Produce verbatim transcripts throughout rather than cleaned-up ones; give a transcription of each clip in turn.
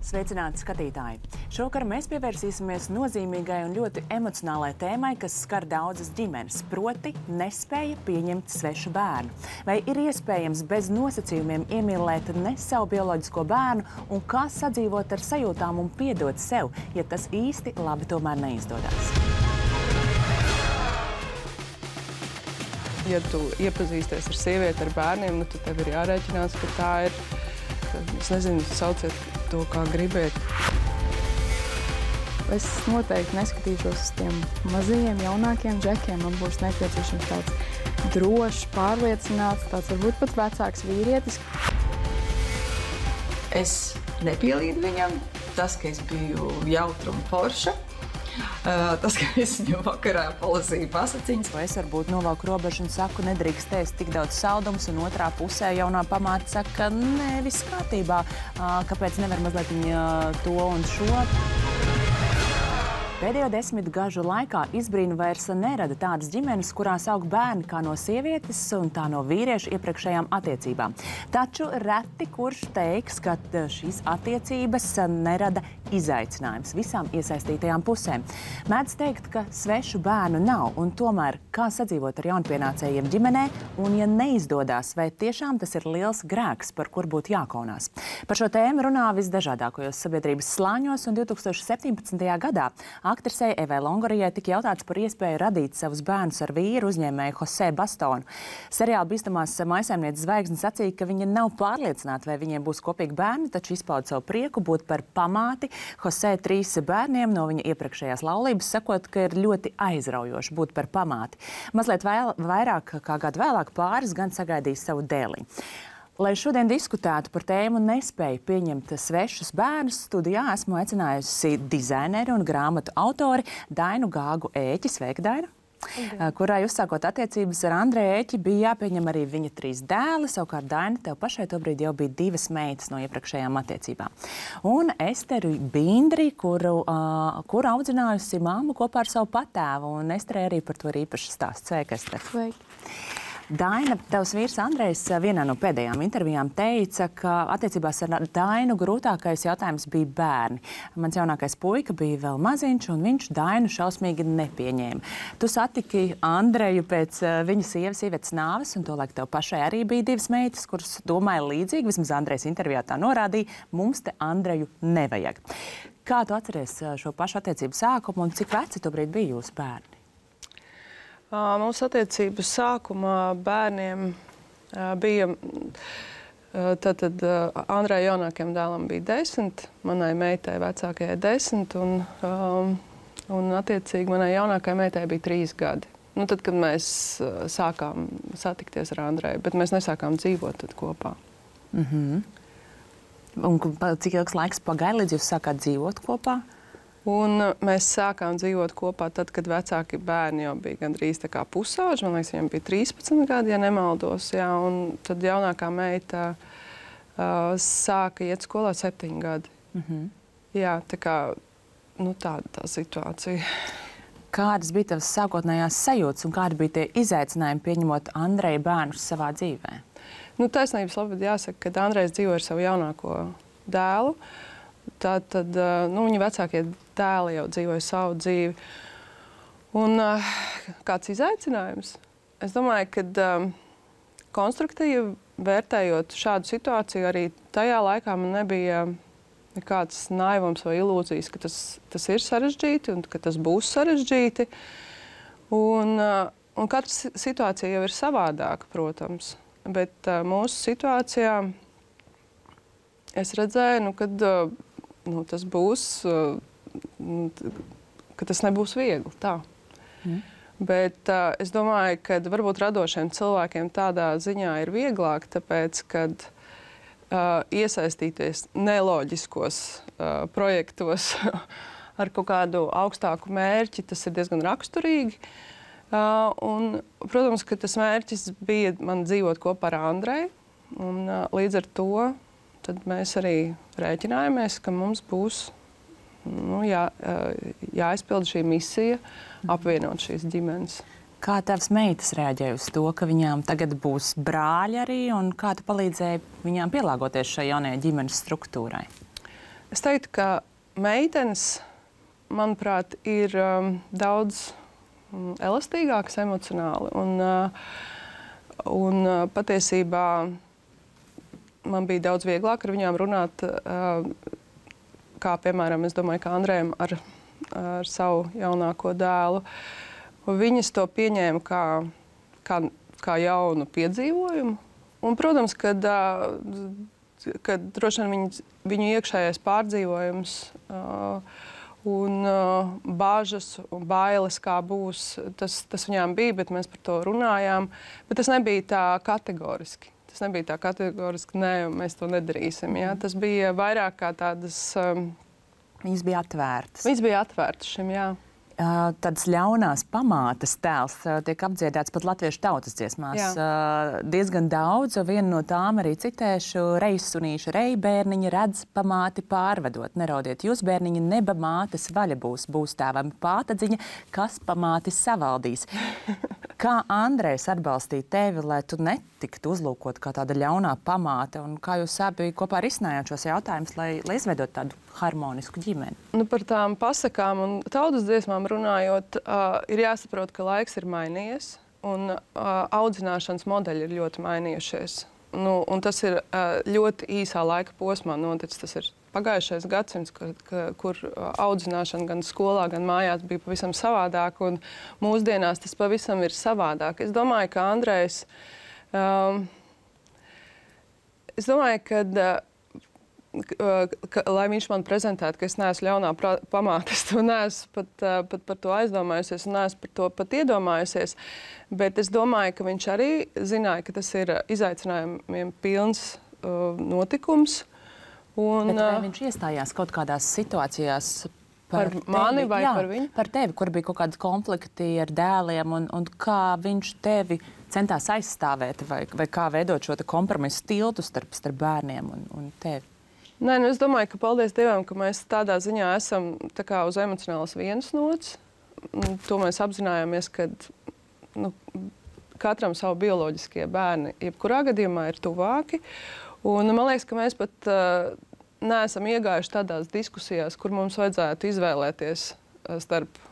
Sveicināti skatītāji! Šovakar mēs pievērsīsimies nozīmīgai un ļoti emocionālai tēmai, kas skar daudzas ģimenes, proti nespēja pieņemt svešu bērnu. Vai ir iespējams bez nosacījumiem iemīlēt ne savu bioloģisko bērnu un kā sadzīvot ar sajūtām un piedot sev, ja tas īsti labi tomēr neizdodas? Ja tu iepazīsties ar sievieti, ar bērniem, nu, tad tev ir jārēķinās, ka tā ir, es nezinu, sauciet to, kā gribiet. Es noteikti neskatīšos uz tiem mazajiem, jaunākiem džekiem. Man būs nepieciešams tāds drošs, pārliecināts, tāds varbūt pat vecāks vīrietis. Es nepielīdu viņam. Tas, ka es biju jautra un forša. Tas, ka es viņam vakarā palasīju pasaciņas. Vai es varbūt novalku robežu un saku, nedrīkst ēst tik daudz saldumus, un otrā pusē jaunā pamāte saka, nē, viss kārtībā, kāpēc nevar mazliet viņa to un šo? Pēdējo desmit gažu laikā izbrīnu vairs nerada tādas ģimenes, kurās aug bērni kā no sievietes un tā no vīrieša iepriekšējām attiecībām. Taču reti kurš teiks, ka šīs attiecības nerada izaicinājums visām iesaistītajām pusēm. Mēdz teikt, ka svešu bērnu nav, un tomēr kā sadzīvot ar jaunpienācējiem ģimenē, un ja neizdodas, vai tiešām tas ir liels grēks, par kur būtu jākaunās. Par šo tēmu runā visdažādākajos sabiedrības slāņos, un divtūkstoš septiņpadsmitajā gadā aktrisei Evai Longorijai tika jautāts par iespēju radīt savus bērnus ar vīru uzņēmēju Jose Bastonu. Seriāla bīstamās mājsaimnieces zvaigzne sacīja, ka viņa nav pārliecināta, vai viņiem būs kopīgi bērni, taču izpauda savu prieku būt par pamāti Jose trīs bērniem no viņa iepriekšējās laulības, sakot, ka ir ļoti aizraujoši būt par pamāti. Mazliet vēl, vairāk kā gadu vēlāk pāris gan sagaidīs savu dēliņu. Lai šodien diskutētu par tēmu nespēju pieņemt svešus bērnus, studijā esmu aicinājusi dizaineri un grāmatu autori Dainu Gāgu Ēķi. Sveika, Daina! Okay. Kurai uzsākot attiecības ar Andreju Ēķi bija jāpieņem arī viņa trīs dēli. Savukārt, Daina, tev pašai tobrīd jau bija divas meitas no iepriekšējām attiecībām. Un Esteru Bindri, kuru, uh, kuru audzinājusi māmu kopā ar savu patēvu. Un Esterei arī par to ir īpašs stāsts. Sveika, Ester! Sveika! Daina, tavs vīrs Andrejs vienā no pēdējām intervijām teica, ka attiecībās ar Dainu grūtākais jautājums bija bērni. Mans jaunākais puika bija vēl maziņš, un viņš Dainu šausmīgi nepieņēma. Tu satiki Andreju pēc viņa sievas Ivetas nāves, un tolaik tev pašai arī bija divas meitas, kuras domāja līdzīgi, vismaz Andrejs intervijā tā norādīja, mums te Andreju nevajag. Kā tu atceries šo pašu attiecību sākumu, un cik veci tobrīd bija jūsu bērni? Mūsu attiecību sākumā bērniem bija, tātad Andrei jaunākajam dēlam bija desmit, manai meitai vecākajai desmit, un, un attiecīgi manai jaunākajai meitai bija trīs gadi. Nu, tad, kad mēs sākām satikties ar Andreju, bet mēs nesākām dzīvot tad kopā. Mm-hmm. Un cik ilgs laiks pagāja, līdz jūs sākāt dzīvot kopā? Un mēs sākām dzīvot kopā tad, kad vecāki bērni jau bija gandrīz tā kā pusauģi. Man liekas, viņam bija trīspadsmit gadi, ja nemaldos. Jā, un tad jaunākā meita uh, sāka iet skolā septiņi gadi. Mm-hmm. Jā, tā kā, nu tāda tā situācija. Kādas bija tavas sākotnējās sajūtas un kādi bija tie izaicinājumi pieņemot Andreja bērnus savā dzīvē? Nu, taisnības labad jāsaka, ka Andrejs dzīvo ar savu jaunāko dēlu. Tātad, nu, viņa vecākie dēli jau dzīvoja savu dzīvi. Un uh, kāds izaicinājums? Es domāju, ka um, konstruktīvi vērtējot šādu situāciju, arī tajā laikā man nebija nekāds naivums vai ilūzijas, ka tas, tas ir sarežģīti un ka tas būs sarežģīti. Un, uh, un katra situācija jau ir savādāka, protams. Bet uh, mūsu situācijā es redzēju, nu, kad uh, nu, tas būs, ka tas nebūs viegli, tā. Mm. Bet uh, es domāju, ka varbūt radošiem cilvēkiem tādā ziņā ir vieglāk, tāpēc, kad uh, iesaistīties neloģiskos uh, projektos ar kaut kādu augstāku mērķi, tas ir diezgan raksturīgi. Uh, un, protams, ka tas mērķis bija man dzīvot kopā ar Andreju, un uh, līdz ar to tad mēs arī rēķinājāmies, ka mums būs nu, jā, jāizpilda šī misija, apvienot šīs ģimenes. Kā tavas meitas reaģēja uz to, ka viņām tagad būs brāļi arī, un kā tu palīdzēji viņām pielāgoties šai jaunajai ģimenes struktūrai? Es teiktu, ka meitenes, manuprāt, ir um, daudz um, elastīgākas emocionāli. Un, uh, un uh, patiesībā man bija daudz vieglāk ar viņām runāt, uh, kā, piemēram, es domāju, ka Andrejam ar, ar savu jaunāko dēlu. Viņas to pieņēma kā, kā, kā jaunu piedzīvojumu. Un, protams, kad, uh, kad droši vien viņu, viņu iekšējais pārdzīvojums uh, un uh, bāžas un bailes, kā būs, tas, tas viņām bija, bet mēs par to runājām. Bet tas nebija tā kategoriski. Tas nebija tā kategoriski, nē, mēs to nedarīsim. Ja? Tas bija vairāk kā tādas... Um, Viņas bija atvērtas. Viņas bija atvērtas šim, jā. Uh, tādas ļaunās pamātes tēls uh, tiek apdziedāts pat latviešu tautas dziesmās. Uh, diezgan daudz, un viena no tām arī citēšu: reizsunīša rei bērniņa redz pamāti pārvedot. Neraudiet jūs, bērniņa, neba mātes vaļa būs, būs tēvam pātadziņa, kas pamāti savaldīs. Kā Andrejs atbalstīja tevi, lai tu netiktu uzlūkot kā tāda ļaunā pamāte, un kā jūs abi kopā risinājāt šos jautājumus, lai, lai izveidot tādu harmonisku ģimeni? Nu, par tām pasakām un tautas dziesmām runājot, uh, ir jāsaprot, ka laiks ir mainījies, un uh, audzināšanas modeļi ir ļoti mainījušies. Nu, un tas ir uh, ļoti īsā laika posmā noticis. Tas ir pagājušais gadsimts, kur, kur audzināšana gan skolā, gan mājās bija pavisam savādāk, un mūsdienās tas pavisam ir savādāk. Es domāju, ka Andrejs, um, es domāju, ka, ka, lai viņš man prezentētu, ka es neesmu ļaunā pamāte, es to neesmu pat, pat par to aizdomājusies un neesmu par to pat iedomājusies, bet es domāju, ka viņš arī zināja, ka tas ir izaicinājumiem pilns uh, notikums. Un, Bet vai viņš iestājās kaut kādās situācijās par, par mani tevi, vai jā, par viņu? Par tevi, kur bija kaut kādi konflikti ar dēliem, un, un kā viņš tevi centās aizstāvēt, vai, vai kā veidot šo kompromisu tiltu starp, starp bērniem un, un tevi? Nē, nu es domāju, ka paldies Dievam, ka mēs tādā ziņā esam tā kā uz emocionālas vienas nots. To mēs apzinājāmies, ka nu, katram savu bioloģiskie bērni jebkurā gadījumā ir tuvāki. Un man liekas, ka mēs pat uh, neesam iegājuši tādās diskusijās, kur mums vajadzētu izvēlēties starp,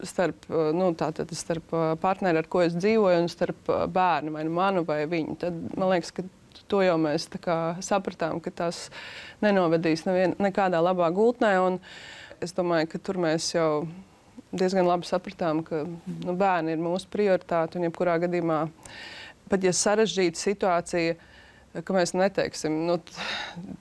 starp, nu, tātad, starp partneri, ar ko es dzīvoju, un starp bērnu, vai nu manu, vai viņu. Tad man liekas, ka to jau mēs tā kā sapratām, ka tas nenovedīs nevien, nekādā labā gultnē. Un es domāju, ka tur mēs jau diezgan labi sapratām, ka nu, bērni ir mūsu prioritāte, un jebkurā gadījumā, pat ja sarežģīta situācija, ka mēs neteiksim, nu,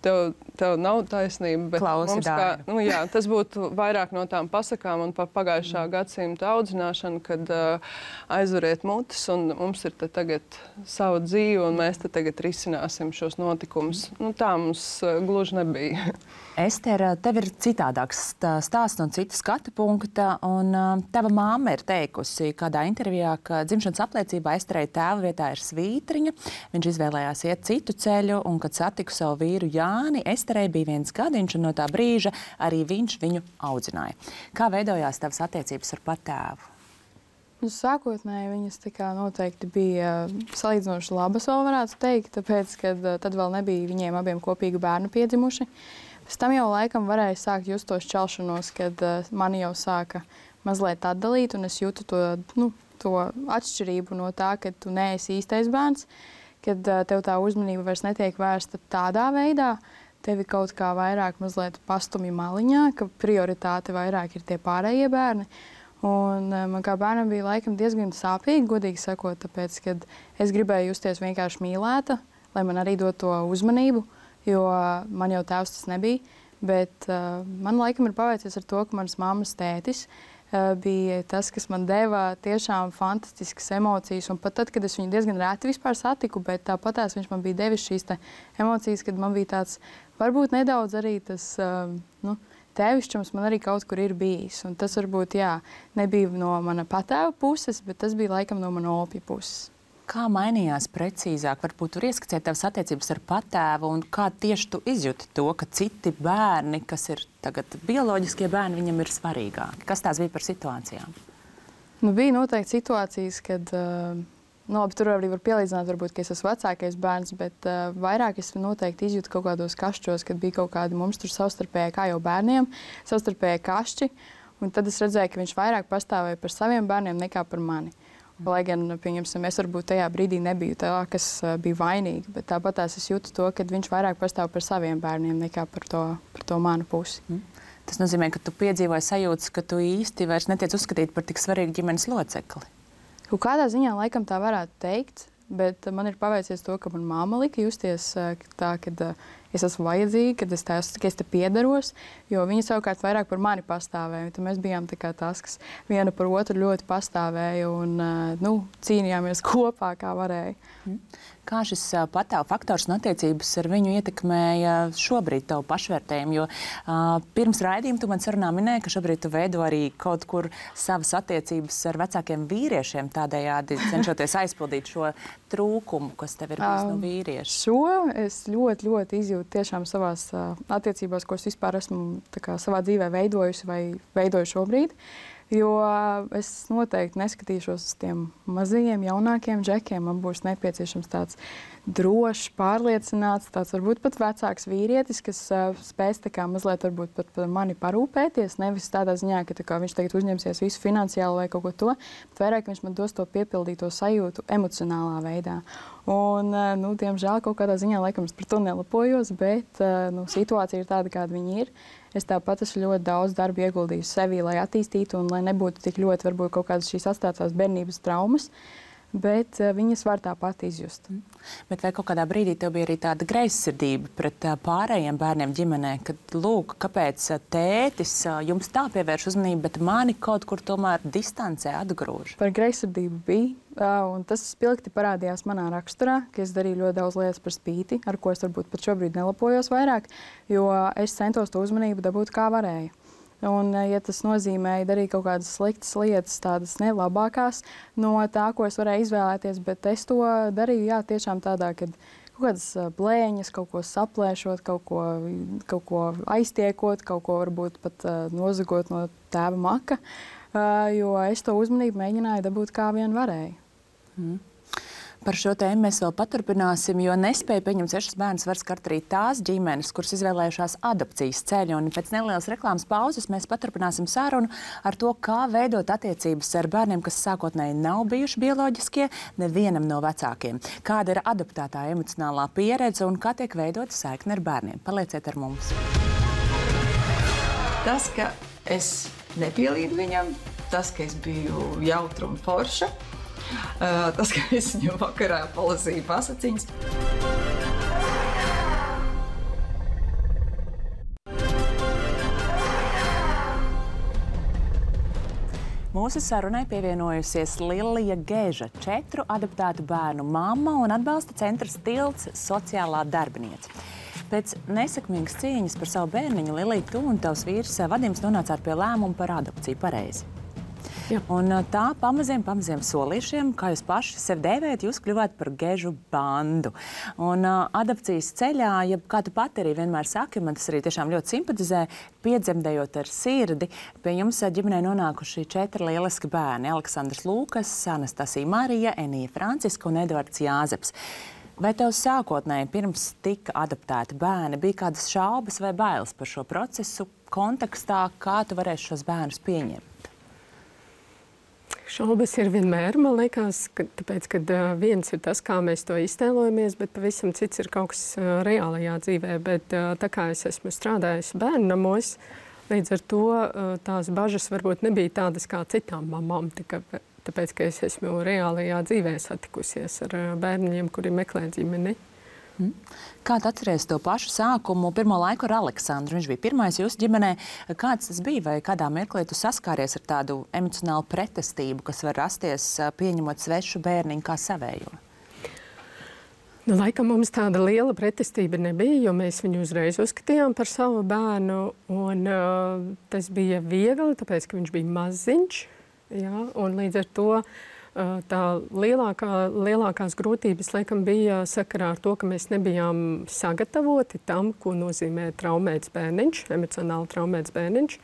tev, tev nav taisnība, bet Klausi mums kā, nu, jā, tas būtu vairāk no tām pasakām un pa pagājušā mm. gadsimta audzināšana, kad uh, aizveriet mutes un mums ir te tagad sava dzīve un mēs te tagad risināsim šos notikumus. Nu, tā mums uh, gluži nebija. Ester, tev ir citādāks stāsts no citu skatu punkta, un uh, tava māma ir teikusi kādā intervijā, ka dzimšanas apliecībā Esterei tēva vietā ir svītriņa. Viņš izvēlējās iet citu ceļu, un, kad satiku savu vīru Jāni, Esterei bija viens gadiņš, un no tā brīža arī viņš viņu audzināja. Kā veidojās tavas attiecības ar patēvu? Nu, sākotnēji viņas tā kā noteikti bija salīdzinoši labas, vēl varētu teikt, tāpēc, ka tad vēl nebija viņiem abiem kopīgi bērnu piedzimuši. Pēc tam jau laikam varēja sākt just tos šķelšanos, kad uh, mani jau sāka mazliet atdalīt, un es jūtu to, nu, to atšķirību no tā, ka tu neesi īstais bērns, kad uh, tev tā uzmanība vairs netiek vērsta tādā veidā, tevi kaut kā vairāk mazliet pastumj maliņā, ka prioritāte vairāk ir tie pārējie bērni. Un uh, man kā bērnam bija laikam diezgan sāpīgi, godīgi sakot, tāpēc, kad es gribēju justies vienkārši mīlēta, lai man arī dod to uzmanību, jo man jau tēvs tas nebija, bet uh, man laikam ir paveicies ar to, ka manas mammas tētis uh, bija tas, kas man deva tiešām fantastiskas emocijas, un pat tad, kad es viņu diezgan reti vispār satiku, bet tāpatās viņš man bija devis šīs te emocijas, kad man bija tāds, varbūt nedaudz arī tas, uh, nu, tēvišķums man arī kaut kur ir bijis, un tas varbūt, jā, nebija no mana patēva puses, bet tas bija laikam no mana opja puses. Kā mainījās precīzāk? Varbūt tur ieskicēt tavas attiecības ar patēvu, un kā tieši tu izjūti to, ka citi bērni, kas ir tagad bioloģiskie bērni, viņam ir svarīgāki? Kas tās bija par situācijām? Nu, bija noteikti situācijas, kad uh, Nu, labi, tur arī var pielīdzināt, varbūt, ka es esmu vecākais bērns, bet uh, vairāk es noteikti izjūtu kaut kādos kašķos, kad bija kaut kādi mums tur savstarpēji, kā jau bērniem, savstarpēji kašķi. Un tad es redzēju, ka viņš vairāk pastāvēja par saviem bērniem nekā par mani. Lai gan, pieņemsim, es varbūt tajā brīdī nebiju tā, kas uh, bija vainīga, bet tāpat es jūtu to, ka viņš vairāk pastāv par saviem bērniem nekā par to, par to manu pusi. Mm. Tas nozīmē, ka tu piedzīvoji sajūtas, ka tu īsti vairs netiec uzskatīt par tik svarīgu ģimenes locekli. Kaut kādā ziņā laikam tā varētu teikt, bet man ir paveicies to, ka man māma lika justies tā, kad es esmu vajadzīga, kad es, tā, ka es te piederos, jo viņa savukārt vairāk par mani pastāvēja. Tad mēs bijām tā kā tas, kas viena par otru ļoti pastāvēja un nu, cīnījāmies kopā, kā varēja. Mm. Kā šis patāvu faktors un attiecības ar viņu ietekmēja šobrīd tavu pašvērtējumu? Jo uh, pirms raidījuma tu man sarunā minēji, ka šobrīd tu veido arī kaut kur savas attiecības ar vecākiem vīriešiem, tādējādi cenšoties aizpildīt šo trūkumu, kas tev ir bijis no vīrieša. Šo es ļoti, ļoti izjūtu tiešām savās uh, attiecībās, ko es vispār esmu tā kā savā dzīvē veidojusi vai veidoju šobrīd. Jo es noteikti neskatīšos uz tiem mazajiem, jaunākiem džekiem. Man būs nepieciešams tāds drošs, pārliecināts, tāds varbūt pat vecāks vīrietis, kas uh, spēs tā kā mazliet varbūt pat par mani parūpēties. Nevis tādā ziņā, ka tā kā viņš tagad uzņemsies visu finansiāli vai kaut ko to, bet vairāk viņš man dos to piepildīto sajūtu emocionālā veidā. Un, uh, nu, diemžēl, kaut kādā ziņā laikam es par to nelapojos, bet uh, nu, situācija ir tāda, kāda viņa ir. Es tāpat esmu ļoti daudz darba ieguldījusi sevī, lai attīstītu un lai nebūtu tik ļoti varbūt kaut kādas šīs atstātās bērnības traumas, bet uh, viņas var tāpat izjust. Mm. Bet vai kaut kādā brīdī tev bija arī tāda greizsirdība pret uh, pārējiem bērniem ģimenē, kad, lūk, kāpēc uh, tētis uh, jums tā pievērš uzmanību, bet mani kaut kur tomēr distancē atgrūž? Par greizsirdību bija, uh, un tas spilgti parādījās manā raksturā, ka es darīju ļoti daudz lietas par spīti, ar ko es varbūt pat šobrīd nelapojos vairāk, jo es centos to uzmanību dabūt kā varēju. Un, ja tas nozīmēja darīt kaut kādas sliktas lietas, tādas nelabākās no tā, ko es varēju izvēlēties, bet es to darīju, jā, tiešām tādā, kad kaut kādas blēņas, kaut ko saplēšot, kaut ko, kaut ko aiztiekot, kaut ko varbūt pat uh, nozagot no tēva maka, uh, jo es to uzmanību mēģināju dabūt kā vien varēju. Mm. Par šo tēmu mēs vēl paturpināsim, jo nespēja pieņemt sešas bērnus var skart arī tās ģimenes, kuras izvēlējušās adopcijas ceļu. Un pēc nelielas reklāmas pauzes mēs paturpināsim sarunu ar to, kā veidot attiecības ar bērniem, kas sākotnēji nav bijuši bioloģiskie nevienam no vecākiem. Kāda ir adoptētā emocionālā pieredze un kā tiek veidota saikne ar bērniem? Palieciet ar mums. Tas, ka es nepielīdu viņam, tas, ka es biju jautra un forša, Uh, tas, ka es viņu vakarā palasīju pasaciņas. Mūsu sarunai pievienojusies Lilija Geža, četru adoptētu bērnu mamma un atbalsta centra Tilts sociālā darbiniece. Pēc nesekmīgas cīņas par savu bērniņu Lilija, tu un tavs vīrs Vadims nonācāt pie lēmuma par adopciju, pareizi. Jā. Un tā pamaziem, pamaziem solīšiem, kā jūs paši sevi dēvējat, jūs kļuvāt par Gežu bandu. Un uh, adopcijas ceļā, ja kā tu pati arī vienmēr saki, man tas arī tiešām ļoti simpatizē, piedzemdējot ar sirdi, pie jums ģimenē nonākuši četri lieliski bērni – Aleksandrs Lūkas, Anastasija Marija, Enija Franciska un Edvards Jāzeps. Vai tev sākotnēji pirms tika adoptēti bērni bija kādas šaubas vai bailes par šo procesu kontekstā, kā tu varēsi šos bērnus pieņemt? Šaubas ir vienmēr, man liekas, ka, tāpēc, ka uh, viens ir tas, kā mēs to iztēlojamies, bet pavisam cits ir kaut kas uh, reālajā dzīvē. Bet uh, tā kā es esmu strādājusi bērnu namos, līdz ar to uh, tās bažas varbūt nebija tādas kā citām mamām, tika, tāpēc, ka es esmu reālajā dzīvē satikusies ar uh, bērniem, kuri meklē ģimeni. Mm. Kā tu atceries to pašu sākumu, pirmo laiku ar Aleksandru? Viņš bija pirmais jūsu ģimenē. Kāds tas bija vai kādā mirklī tu saskāries ar tādu emocionālu pretestību, kas var rasties pieņemot svešu bērniņu kā savējo? Nu, laikam mums tāda liela pretestība nebija, jo mēs viņu uzreiz uzskatījām par savu bērnu. Un, uh, tas bija viegli, tāpēc, ka viņš bija maziņš. Jā, un līdz ar to tā lielākā, lielākās grūtības, laikam, bija sakarā ar to, ka mēs nebijām sagatavoti tam, ko nozīmē traumēts bērniņš, emocionāli traumēts bērniņš.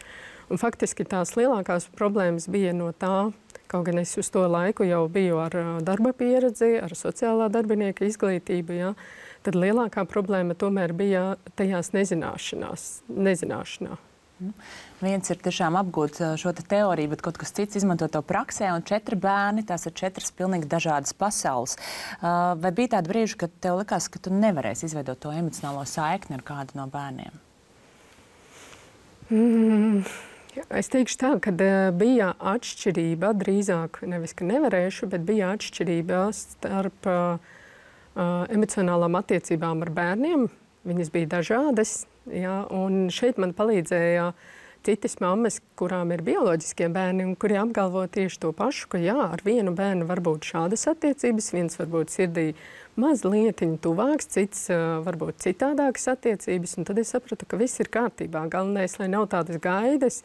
Un faktiski tās lielākās problēmas bija no tā, kaut gan es uz to laiku jau biju ar darba pieredzi, ar sociālā darbinieka izglītību, ja, tad lielākā problēma tomēr bija tajās nezināšanās, nezināšanā. Viens ir tiešām apgūt šo te teoriju, bet kaut kas cits izmanto to praksē, un četri bērni, tās ir četras pilnīgi dažādas pasaules. Vai bija tāda brīža, kad tev likās, ka tu nevarēsi izveidot to emocionālo saikni ar kādu no bērniem? Mm, es teikšu tā, ka bija atšķirība, drīzāk nevis, ka nevarēšu, bet bija atšķirība starp uh, emocionālām attiecībām ar bērniem. Viņas bija dažādas. Jā, un šeit man palīdzēja citas mammas, kurām ir bioloģiskie bērni un kuri apgalvo tieši to pašu, ka jā, ar vienu bērnu var būt šādas attiecības, viens varbūt sirdī mazlietiņ tuvāks, cits uh, varbūt citādākas attiecības, un tad es sapratu, ka viss ir kārtībā. Galvenais, lai nav tādas gaidas,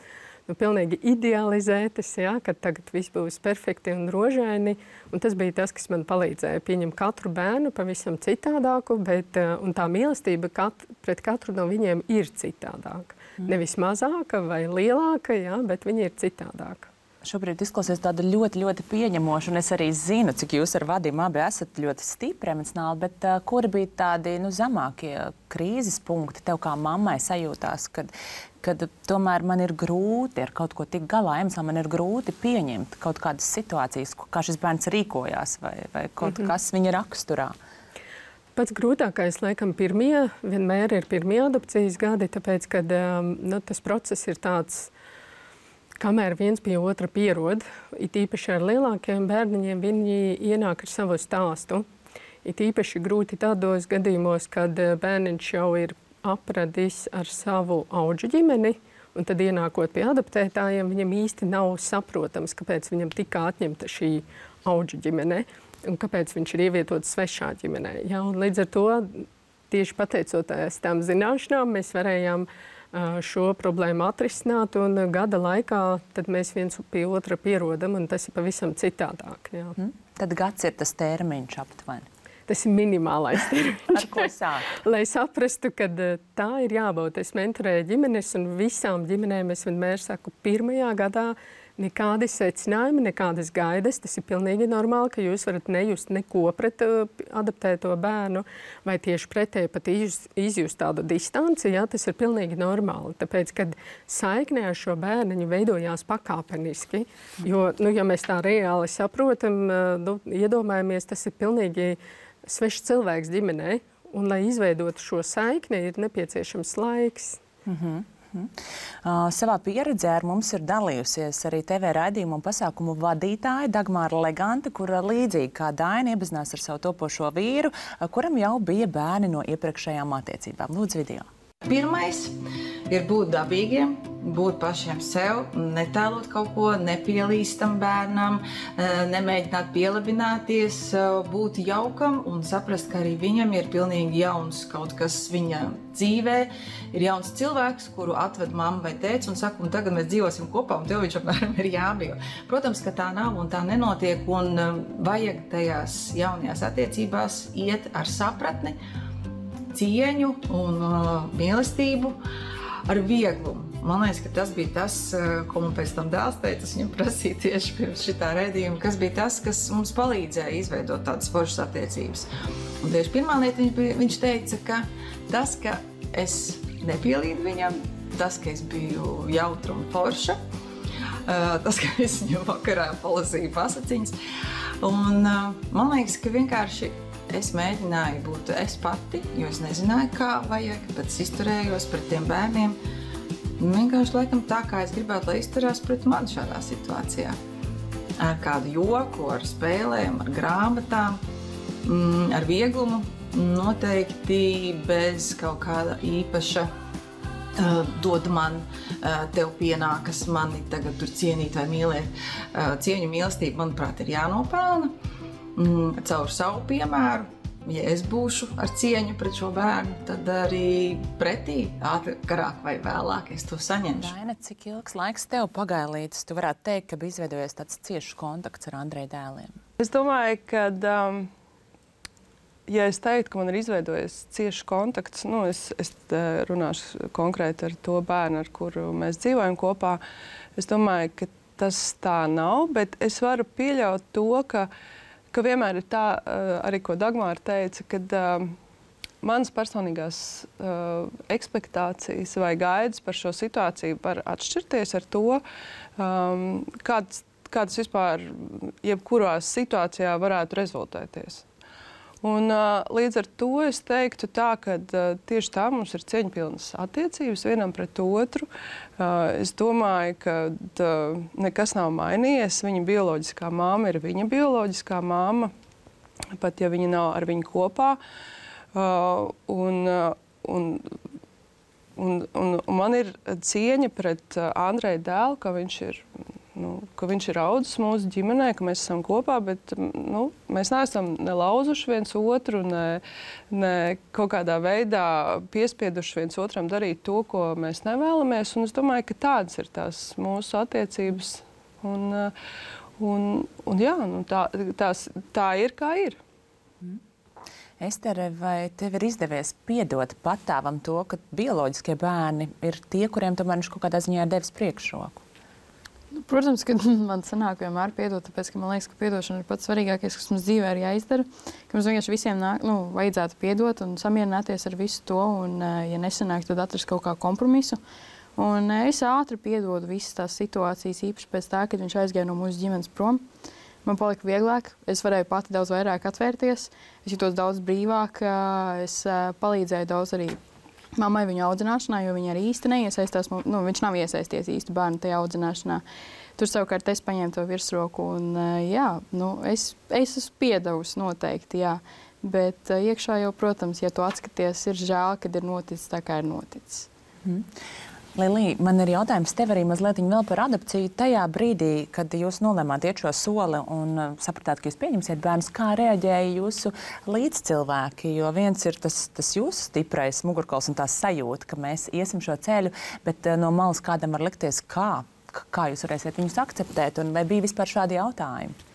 nu, pilnīgi idealizētas, jā, ka tagad viss būs perfekti un rožaini. Un tas bija tas, kas man palīdzēja pieņemt katru bērnu pavisam citādāku, bet un tā mīlestība kat, pret katru no viņiem ir citādāka. Mm. Nevis mazāka vai lielāka, jā, bet viņi ir citādāka. Šobrīd izklausies tāda ļoti, ļoti pieņemoša, un es arī zinu, cik jūs ar Vadimu abi esat ļoti stipri emocionāli, bet uh, kuri bija tādi nu, zemākie krīzes punkti tev kā mammai sajūtās, kad, kad tomēr man ir grūti ar kaut ko tik galā, emocionāli man ir grūti pieņemt kaut kādas situācijas, kā šis bērns rīkojās vai, vai kaut mm-hmm. kas viņa raksturā? Pats grūtākais, laikam, pirmie, vienmēr ir pirmie adopcijas gadi, tāpēc, kad um, nu, tas process ir tāds, kamēr viens pie otra pierod, it īpaši ar lielākiem bērniņiem, viņi ienāk ar savu stāstu. It īpaši grūti tādos gadījumos, kad bērniņš jau ir apradis ar savu audžu ģimeni, un tad ienākot pie adoptētājiem, viņam īsti nav saprotams, kāpēc viņam tika atņemta šī audžu ģimene, un kāpēc viņš ir ievietots svešā ģimenē. Ja, un līdz ar to, tieši pateicoties tām zināšanām, mēs varējām šo problēmu atrisināt, un gada laikā tad mēs viens pie otra pierodam, un tas ir pavisam citādāk. Jā. Hmm. Tad gads ir tas termiņš aptuveni. Tas ir minimālais termiņš. Ar ko sāk? Lai saprastu, ka tā ir jābūt. Es mentorēju ģimenes, un visām ģimenēm es vienmēr saku, pirmajā gadā nekādi secinājumi, nekādas gaidas. Tas ir pilnīgi normāli, ka jūs varat nejust neko pret uh, adoptēto bērnu, vai tieši pretēji pat izjust, izjust tādu distanci. Jā, tas ir pilnīgi normāli. Tāpēc, kad saiknē ar šo bērniņu veidojās pakāpeniski, jo, nu, ja mēs tā reāli saprotam, uh, nu, iedomājamies, tas ir pilnīgi svešs cilvēks ģimenē, un, lai izveidotu šo saikni, ir nepieciešams laiks. Mhm. Uh, savā pieredzē ar mums ir dalījusies arī T V raidījumu un pasākumu vadītāja Dagmāra Legante, kura līdzīgi kā Daina iepazinās ar savu topošo vīru, uh, kuram jau bija bērni no iepriekšējām attiecībām. Lūdzu, video. Pirmais ir būt dabīgiem, būt pašiem sev, netēlot kaut ko, nepielīstam bērnam, nemēģināt pielabināties, būt jaukam un saprast, ka arī viņam ir pilnīgi jauns kaut kas viņa dzīvē, ir jauns cilvēks, kuru atved mamma vai tēvs un saka, un tagad mēs dzīvosim kopā, un tev viņš apmēram ir jābija. Protams, ka tā nav un tā nenotiek, un vajag tajās jaunajās attiecībās iet ar sapratni, cieņu un uh, mīlestību ar vieglumu. Man liekas, ka tas bija tas, uh, ko man pēc tam dēls teica, es viņam prasīju tieši pirms šitā redzījuma, kas bija tas, kas mums palīdzēja izveidot tādas foršas attiecības. Un tieši pirmā lieta viņš, bija, viņš teica, ka tas, ka es nepielīdu viņam, tas, ka es biju jautra un forša, uh, tas, ka es viņam vakarā palasīju pasaciņas. Un uh, man liekas, ka vienkārši es mēģināju būt es pati, jo es nezināju, kā vajag, bet es izturējos pret tiem bērniem. Vienkārši laikam tā, kā es gribētu, lai izturās pret mani šādā situācijā. Ar kādu joku, ar spēlēm, ar grāmatām, ar vieglumu, noteikti bez kaut kāda īpaša uh, dod man, uh, tev pienākas mani tagad tur cienīt vai mīlēt. Uh, cieņu mīlestību, manuprāt, ir jānopelna. Mm, caur savu piemēru, ja es būšu ar cieņu pret šo bērnu, tad arī pretī, ātrāk vai vēlāk, es to saņemšu. Daina, cik ilgs laiks tev pagāja līdz, tu varētu teikt, ka bija izveidojies tāds ciešs kontakts ar Andreja dēliem? Es domāju, ka um, ja es teiktu, ka man ir izveidojies ciešs kontakts, nu, es, es runāšu konkrēti ar to bērnu, ar kuru mēs dzīvojam kopā, es domāju, ka tas tā nav, bet es varu pieļaut to, ka, ka vienmēr ir tā, arī ko Dagmāra teica, kad uh, manas personīgās uh, ekspektācijas vai gaidas par šo situāciju var atšķirties ar to, um, kāds, kāds vispār jebkurā situācijā varētu rezultēties. Un, uh, līdz ar to es teiktu tā, ka uh, tieši tā mums ir cieņpilnas attiecības vienam pret otru. Uh, es domāju, ka uh, nekas nav mainījies. Viņa bioloģiskā māma ir viņa bioloģiskā māma, pat ja viņa nav ar viņu kopā. Uh, un, uh, un, un, un, un man ir cieņa pret uh, Andreja dēlu, ka viņš ir Nu, ka viņš ir audzis mūsu ģimenē, ka mēs esam kopā, bet nu, mēs neesam ne lauzuši viens otru, ne, ne kaut kādā veidā piespieduši viens otram darīt to, ko mēs nevēlamies. Un es domāju, ka tādas ir tās mūsu attiecības. Un, un, un jā, nu, tā, tās, tā ir, kā ir. Mm. Estere, vai tev ir izdevies piedot patāvam to, ka bioloģiskie bērni ir tie, kuriem tomēr viņš kaut kādā ziņā ir devis priekšroku? Nu, protams, ka man sanāk vienmēr piedot, tāpēc, ka man liekas, ka piedošana ir pats svarīgākais, kas mums dzīvē ir jāizdara. Ka mums vienkārši visiem nāk, nu, vajadzētu piedot un samierināties ar visu to, un, ja nesanāk, tad atrast kaut kā kompromisu. Un es ātri piedodu visas tās situācijas, īpaši pēc tā, kad viņš aizgāja no mūsu ģimenes prom. Man palika vieglāk, es varēju pati daudz vairāk atvērties, es jutos daudz brīvāk, es palīdzēju daudz arī mammai viņa audzināšanā, jo viņa arī īsti neiesaistās, nu, viņš nav iesaisties īsti bērnu tajā audzināšanā. Tur savukārt es paņēmu to virsroku un, jā, nu, es, es esmu piedevusi noteikti, jā. Bet iekšā jau, protams, ja tu atskaties, ir žēl, kad ir noticis tā, kā ir noticis. Mm. Lilija, man ir jautājums tev arī mazliet vēl par adopciju. Tajā brīdī, kad jūs nolēmāt iet šo soli un sapratāt, ka jūs pieņemsiet bērnus, kā reaģēja jūsu līdzcilvēki? Jo viens ir tas, tas jūsu stiprais mugurkauls un tā sajūta, ka mēs iesim šo ceļu, bet no malas kādam var likties, kā, kā jūs varēsiet viņus akceptēt, un vai bija vispār šādi jautājumi?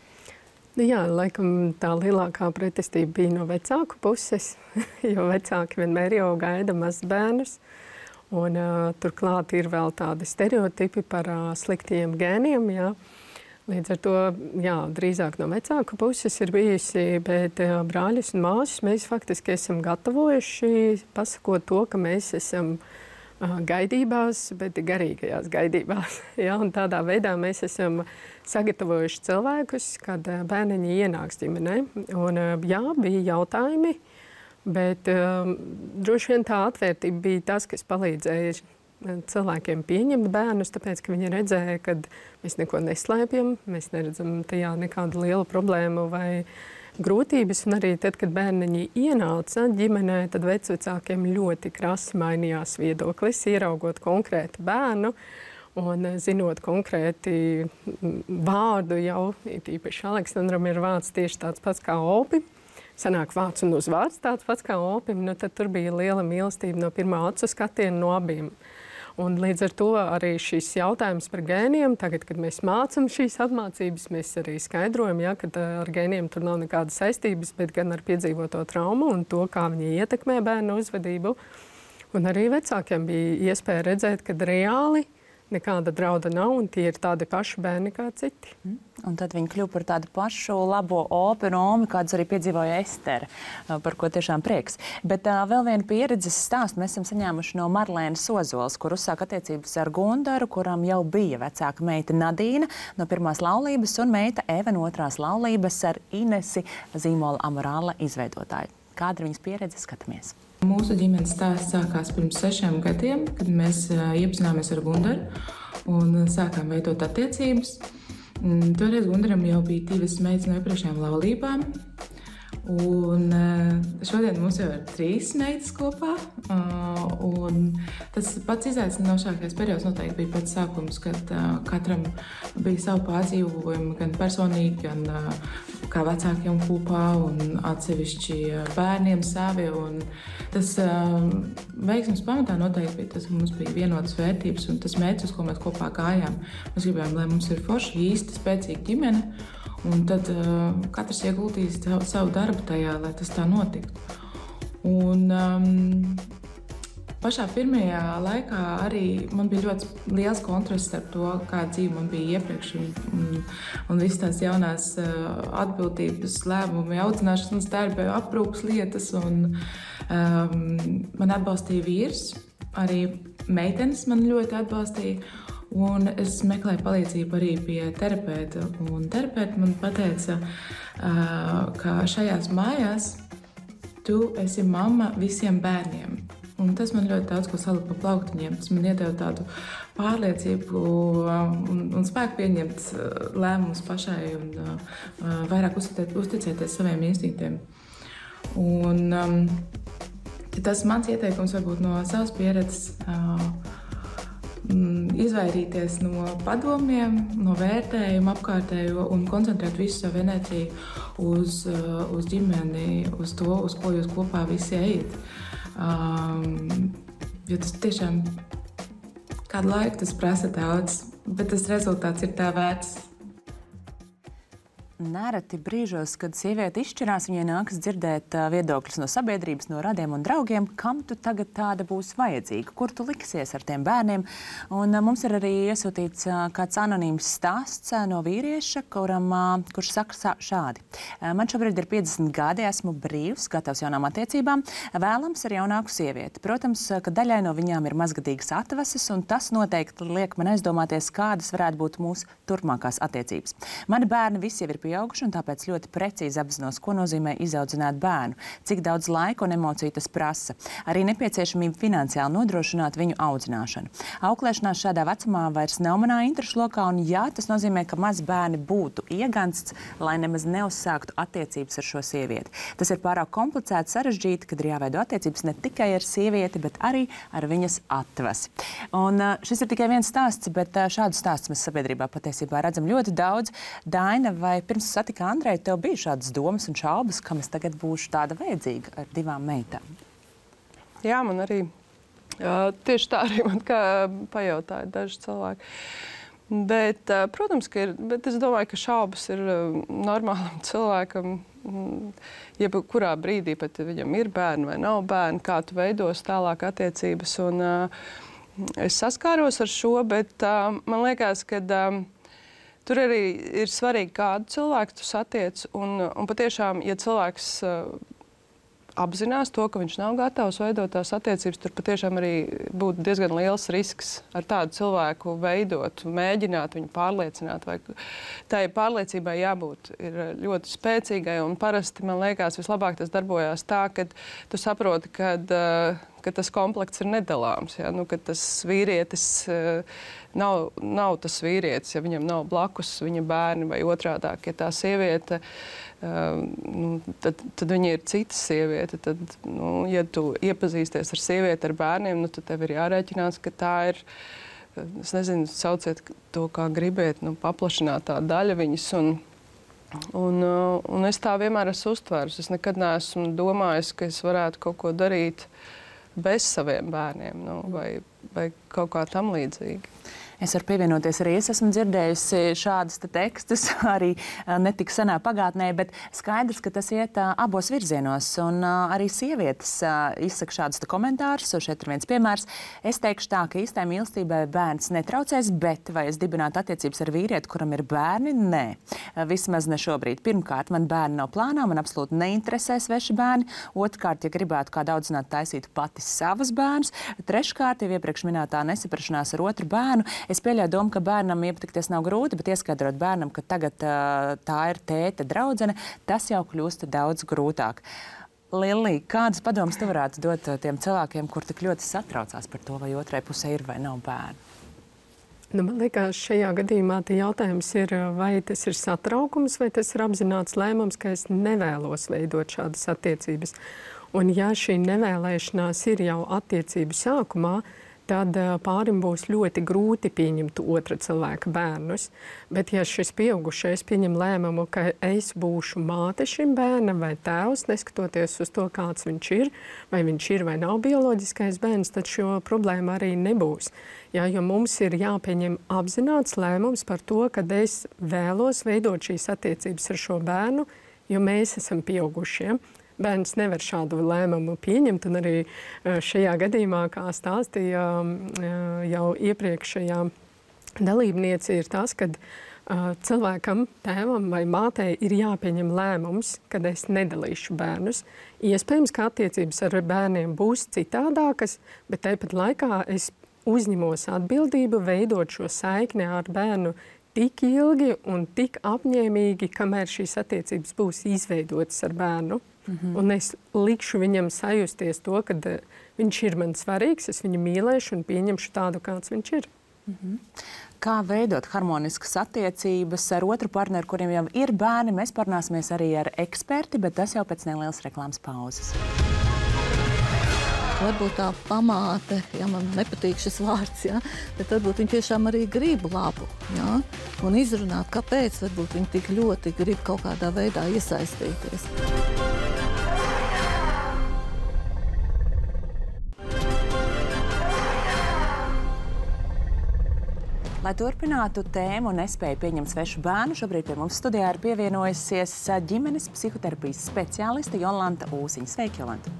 Jā, laikam tā lielākā pretestība bija no vecāku puses, jo vecāki vienmēr jau gaida mazbērnus. Un, uh, turklāt ir vēl tādi stereotipi par uh, sliktiem gēniem. Jā. Līdz ar to jā, drīzāk no vecāka puses ir bijusi, bet uh, brāļus un māsas mēs faktiski esam gatavojuši, pasakot to, ka mēs esam uh, gaidībās, bet garīgajās gaidībās. Jā, un tādā veidā mēs esam sagatavojuši cilvēkus, kad uh, bērniņi ienāks ģimenē. Un, uh, jā, bija jautājumi. Bet um, droši vien tā atvērtība bija tas, kas palīdzēja cilvēkiem pieņemt bērnus, tāpēc, ka viņi redzēja, ka mēs neko neslēpjam, mēs neredzam tajā nekādu lielu problēmu vai grūtības. Un arī tad, kad bērniņi ienāca ģimenē, tad vecvecākiem ļoti krasi mainījās viedoklis, ieraugot konkrētu bērnu un zinot konkrēti vārdu jau, īpaši Aleksandram ir vārds tieši tāds pats kā Opi. Sanāk vārds un uzvārds tāds pats kā Opim, nu tad tur bija liela mīlestība no pirmā acu skatiena no abiem. Un līdz ar to arī šis jautājums par gēniem, tagad, kad mēs mācam šīs apmācības, mēs arī skaidrojam, ja, ka ar gēniem tur nav nekādas saistības, bet gan ar piedzīvoto traumu un to, kā viņi ietekmē bērnu uzvedību. Un arī vecākiem bija iespēja redzēt, ka reāli nekāda drauda nav, un tie ir tādi paši bērni kā citi. Mm. Un tad viņi kļuva par tādu pašu labo Opi un Omi, kādas arī piedzīvoja Estere, par ko tiešām prieks. Bet uh, vēl vienu pieredzes stāstu mēs esam saņēmuši no Marlēnas Ozolas, kur uzsāk attiecības ar Gundaru, kuram jau bija vecāka meita Nadīna no pirmās laulības un meita Eva no otrās laulības ar Inesi zīmola Amorāla izveidotāju. Kāda ir viņas pieredze? Skatāmies. Mūsu ģimenes stāsts sākās pirms sešiem gadiem, kad mēs uh, iepazināmies ar Gundaru un uh, sākām veidot attiecības. Mm, toreiz Gundaram jau bija divas meitas no iepriekšējām laulībām. Un uh, šodien mums jau ir trīs meitas kopā. Uh, un tas pats izaicinošākais periods noteikti bija pats sākums, kad uh, katram bija savu pārdzīvojumu, gan personīgi, gan uh, kā vecākiem kopā un atsevišķi bērniem savi. Un tas uh, veiksmes pamatā noteikti bija tas, ka mums bija vienotas vērtības un tas mērķis, uz ko mēs kopā gājām. Mēs gribējām, lai mums ir forša, īsta, spēcīga ģimene. Un tad uh, katrs ieguldīs savu darbu tajā, lai tas tā notiktu. Un, um, pašā pirmajā laikā arī man bija ļoti liels kontrasts starp to, kāda dzīve man bija iepriekš, un, un, un visas tās jaunās uh, atbildības, lēmumi, audzināšanas darbi, aprūpas lietas. Un, um, man atbalstīja vīrs, arī meitenes man ļoti atbalstīja. Un es meklēju palīdzību arī pie terapeita. Un terapeita man pateica, uh, ka šajās mājās tu esi mamma visiem bērniem. Un tas man ļoti daudz ko salika pa plauktiņiem. Tas man iedeva tādu pārliecību un, un spēku pieņemt lēmumus pašai un uh, vairāk uzticēt, uzticēties saviem instinktiem. Un um, tas mans ieteikums varbūt no savas pieredzes uh, izvairīties no padomiem, no vērtējuma apkārtējo un koncentrēt visu savu enerģiju uz, uz ģimeni, uz to, uz ko jūs kopā visi ejat. Um, jo tas tiešām kādu laiku tas prasa daudz, bet tas rezultāts ir tā vērts. Nereti brīžos, kad sieviete izšķirās, viņai nākas dzirdēt viedokļus no sabiedrības, no radiem un draugiem, kam tu tagad tāda būs vajadzīga, kur tu liksies ar tiem bērniem. Un mums ir arī iesūtīts kāds anonīms stāsts no vīrieša, kuram, kurš saka šādi. Man šobrīd ir piecdesmit gadi, esmu brīvs, gatavs jaunām attiecībām, vēlams ar jaunāku sievieti. Protams, ka daļai no viņām ir mazgadīgas atvases, un tas noteikti liek man aizdomāties, kādas varētu būt mūsu turpmākās attiecības. Mani bērni visi jau ir pieauguši, un tāpēc ļoti precīzi apzinos, ko nozīmē izaudzināt bērnu, cik daudz laika un emociju tas prasa. Arī nepieciešamība finansiāli nodrošināt viņu audzināšanu. Auklēšanās šādā vecumā vairs nav manā interešu lokā, un jā, tas nozīmē, ka mazi bērni būtu iegansts, lai nemaz neuzsāktu attiecības ar šo sievieti. Tas ir pārāk komplicēti, sarežģīti, kad ir jāveido attiecības ne tikai ar sievieti, bet arī ar viņas atvasi. Un šis ir tikai viens stāsts, bet šādu stāstu mēs sabiedrībā patiesībā redzam ļoti daudz. Daina, vai pirms satika Andreju, tev bija šādas domas un šaubas, kam es tagad būšu tāda vajadzīga ar divām meitām? Jā, man arī uh, tieši tā arī man kā pajautāja daži cilvēki. Bet, uh, protams, ka ir, bet es domāju, ka šaubas ir uh, normālam cilvēkam, jebkurā brīdī, pat ja viņam ir bērni vai nav bērni, kā tu veidos tālāk attiecības. Un, uh, es saskāros ar šo, bet uh, man liekas, ka uh, tur arī ir svarīgi, kādu cilvēku tu satiec. Un, un patiešām, ja cilvēks uh, apzinās to, ka viņš nav gatavs veidot tās attiecības, tur patiešām arī būtu diezgan liels risks ar tādu cilvēku veidot, mēģināt viņu pārliecināt. Vai tai pārliecībai jābūt ir ļoti spēcīgai, un parasti, man liekas, vislabāk tas darbojās tā, ka tu saproti, kad, uh, ka tas komplekts ir nedalāms. Ja? Nu, ka tas vīrietis uh, nav, nav tas vīrietis, ja viņam nav blakus viņa bērni vai otrādāk, ja tā sieviete, uh, nu, tad, tad viņa ir cita sieviete. Tad, nu, ja tu iepazīsties ar sievieti ar bērniem, nu, tad tev ir jārēķinās, ka tā ir, es nezinu, sauciet to, kā gribiet, nu, paplašinātā daļa viņas. Un, un, un es tā vienmēr esmu uztvērs. Es nekad neesmu domājis, ka es varētu kaut ko darīt bez saviem bērniem, nu, vai, vai kaut kā tam līdzīgi. Es varu pievienoties arī. Es esmu dzirdējusi šādus te tekstus arī netik senā pagātnē, bet skaidrs, ka tas iet uh, abos virzienos. Un uh, arī sievietes uh, izsaka šādus te komentārus. Šeit ir viens piemērs. Es teikšu tā, ka īstai mīlestībai bērns netraucēs, bet vai es dibinātu attiecības ar vīrieti, kuram ir bērni? Nē. Uh, vismaz ne šobrīd. Pirmkārt, man bērni nav plānā, man absolūti neinteresē sveši bērni. Otrkārt, ja gribētu kādu audzināt, taisītu pati savus bērnus. Treškārt, jau iepriekš minētā nesaprašanās ar otru bērnu. Es pieļauju domu, ka bērnam iepatikties nav grūti, bet ieskaidrot bērnam, ka tagad uh, tā ir tēte draudzene, tas jau kļūst daudz grūtāk. Lillī, kādas padomas tu varētu dot tiem cilvēkiem, kur tik ļoti satraucās par to, vai otrai pusē ir vai nav bērnu? Nu, man liekas, šajā gadījumā jautājums ir, vai tas ir satraukums, vai tas ir apzināts lēmums, ka es nevēlos veidot šādas attiecības. Un ja šī nevēlēšanās ir jau attiecību sākumā, tad pārim būs ļoti grūti pieņemt otra cilvēka bērnus. Bet, ja šis pieaugušais pieņem lēmumu, ka es būšu māte šim bērnam vai tēvs, neskatoties uz to, kāds viņš ir, vai viņš ir vai nav bioloģiskais bērns, tad šo problēmu arī nebūs. Jā, jo mums ir jāpieņem apzināts lēmums par to, ka es vēlos veidot šīs attiecības ar šo bērnu, jo mēs esam pieaugušie. Bērns nevar šādu lēmumu pieņemt, un arī šajā gadījumā, kā stāstīja jau iepriekšējā dalībniece, ir tas, ka cilvēkam, tēvam vai mātei ir jāpieņem lēmums, kad es nedalīšu bērnus. Iespējams, ka attiecības ar bērniem būs citādākas, bet tāpat laikā es uzņemos atbildību veidot šo saikni ar bērnu tik ilgi un tik apņēmīgi, kamēr šīs attiecības būs izveidotas ar bērnu. Mm-hmm. Un es likšu viņam sajusties to, ka uh, viņš ir man svarīgs, es viņu mīlēšu un pieņemšu tādu, kāds viņš ir. Mm-hmm. Kā veidot harmoniskas attiecības ar otru partneri, kuriem jau ir bērni? Mēs parunāsimies arī ar eksperti, bet tas jau pēc nelielas reklāmas pauzes. Varbūt tā pamāte, ja man nepatīk šis vārds, ja, bet varbūt viņi tiešām arī grib labu, ja, un izrunāt, kāpēc varbūt viņi tik ļoti grib kaut kādā veidā iesaistīties. Lai turpinātu tēmu un nespēju pieņemt svešu bērnu, šobrīd pie mums studijā ir pievienojusies ģimenes psihoterapijas speciāliste Jolanta Ūsiņa. Sveiki, Jolanta!